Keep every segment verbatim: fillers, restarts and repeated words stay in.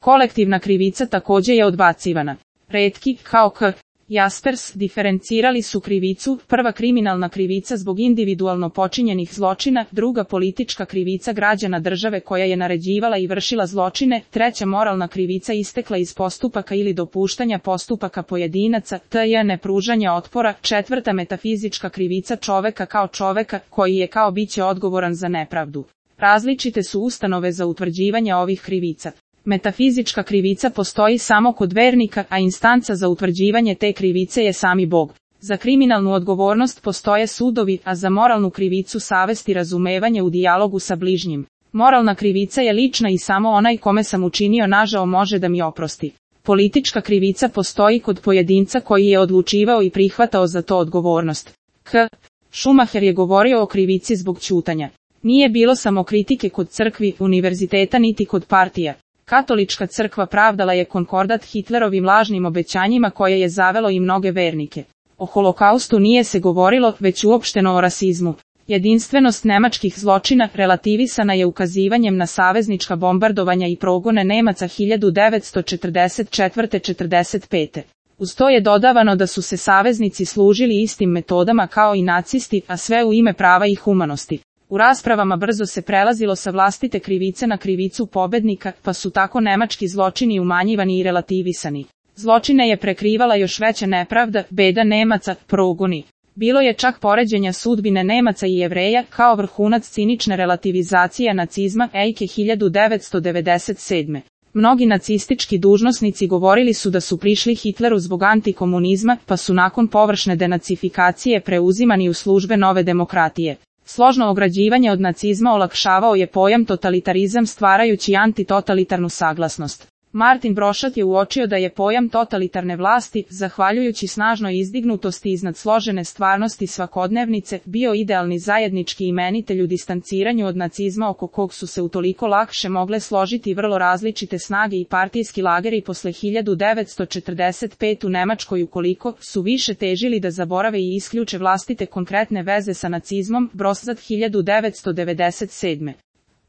Kolektivna krivica takođe je odbacivana. Retki, kao K. Jaspers, diferencirali su krivicu, prva kriminalna krivica zbog individualno počinjenih zločina, druga politička krivica građana države koja je naređivala i vršila zločine, treća moralna krivica istekla iz postupaka ili dopuštanja postupaka pojedinaca, tj. nepružanja otpora, četvrta metafizička krivica čoveka kao čoveka, koji je kao biće odgovoran za nepravdu. Različite su ustanove za utvrđivanje ovih krivica. Metafizička krivica postoji samo kod vernika, a instanca za utvrđivanje te krivice je sami Bog. Za kriminalnu odgovornost postoje sudovi, a za moralnu krivicu savest i razumevanje u dijalogu sa bližnjim. Moralna krivica je lična i samo onaj kome sam učinio nažao može da mi oprosti. Politička krivica postoji kod pojedinca koji je odlučivao i prihvatao za to odgovornost. K. Schumacher je govorio o krivici zbog ćutanja. Nije bilo samo kritike kod crkvi, univerziteta niti kod partija. Katolička crkva pravdala je konkordat Hitlerovim lažnim obećanjima koje je zavelo i mnoge vernike. O holokaustu nije se govorilo, već uopšteno o rasizmu. Jedinstvenost nemačkih zločina relativisana je ukazivanjem na saveznička bombardovanja i progone Nemaca hiljadu devetsto četrdeset četvrte do četrdeset pete. Uz to je dodavano da su se saveznici služili istim metodama kao i nacisti, a sve u ime prava i humanosti. U raspravama brzo se prelazilo sa vlastite krivice na krivicu pobednika, pa su tako nemački zločini umanjivani i relativisani. Zločine je prekrivala još veća nepravda, beda Nemaca, progoni. Bilo je čak poređenja sudbine Nemaca i Jevreja, kao vrhunac cinične relativizacije nacizma, Eike hiljadu devetsto devedeset sedme. Mnogi nacistički dužnosnici govorili su da su prišli Hitleru zbog antikomunizma, pa su nakon površne denacifikacije preuzimani u službe nove demokratije. Složno ograđivanje od nacizma olakšavao je pojam totalitarizam stvarajući antitotalitarnu saglasnost. Martin Brošat je uočio da je pojam totalitarne vlasti, zahvaljujući snažnoj izdignutosti iznad složene stvarnosti svakodnevnice, bio idealni zajednički imenitelj u distanciranju od nacizma oko kog su se utoliko lakše mogle složiti vrlo različite snage i partijski lageri posle hiljadu devetsto četrdeset pete u Nemačkoj ukoliko su više težili da zaborave i isključe vlastite konkretne veze sa nacizmom, Brošat hiljadu devetsto devedeset sedme.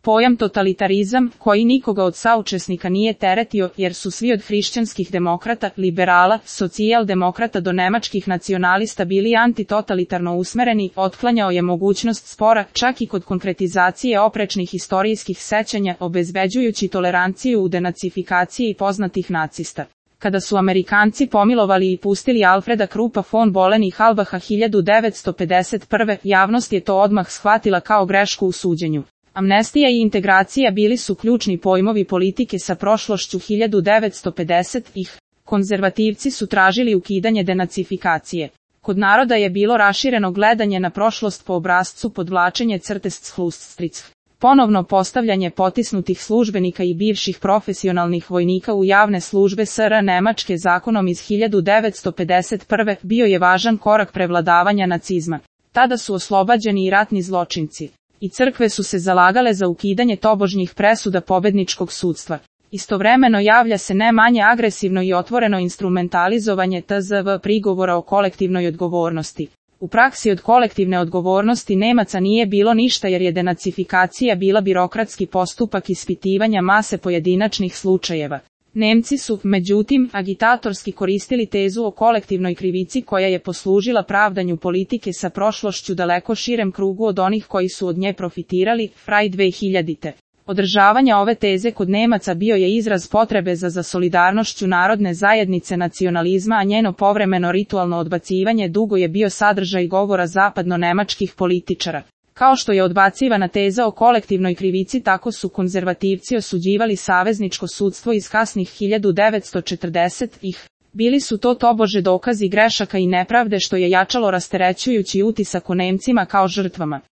Pojam totalitarizam, koji nikoga od saučesnika nije teretio, jer su svi od hrišćanskih demokrata, liberala, socijaldemokrata do nemačkih nacionalista bili antitotalitarno usmereni, otklanjao je mogućnost spora, čak i kod konkretizacije oprečnih istorijskih sećanja, obezbeđujući toleranciju u denacifikaciji poznatih nacista. Kada su Amerikanci pomilovali i pustili Alfreda Krupa von Bohlen i Halbacha hiljadu devetsto pedeset prve, javnost je to odmah shvatila kao grešku u suđenju. Amnestija i integracija bili su ključni pojmovi politike sa prošlošću hiljadu devetsto pedesetih. Konzervativci su tražili ukidanje denacifikacije. Kod naroda je bilo rašireno gledanje na prošlost po obrascu podvlačenje crte Schlussstrich. Ponovno postavljanje potisnutih službenika i bivših profesionalnih vojnika u javne službe S R Nemačke zakonom iz hiljadu devetsto pedeset prve bio je važan korak prevladavanja nacizma. Tada su oslobađani i ratni zločinci. I crkve su se zalagale za ukidanje tobožnjih presuda pobedničkog sudstva. Istovremeno javlja se ne manje agresivno i otvoreno instrumentalizovanje T Z V prigovora o kolektivnoj odgovornosti. U praksi od kolektivne odgovornosti Nemaca nije bilo ništa jer je denacifikacija bila birokratski postupak ispitivanja mase pojedinačnih slučajeva. Nemci su, međutim, agitatorski koristili tezu o kolektivnoj krivici koja je poslužila pravdanju politike sa prošlošću daleko širem krugu od onih koji su od nje profitirali, Fraj dve hiljadite. Održavanje ove teze kod Nemaca bio je izraz potrebe za za solidarnošću narodne zajednice nacionalizma, a njeno povremeno ritualno odbacivanje dugo je bio sadržaj govora zapadno-nemačkih političara. Kao što je odbacivana teza o kolektivnoj krivici, tako su konzervativci osuđivali savezničko sudstvo iz kasnih hiljadu devetsto četrdesetih. Bili su to tobože dokazi grešaka i nepravde što je jačalo rasterećujući utisak o Nemcima kao žrtvama.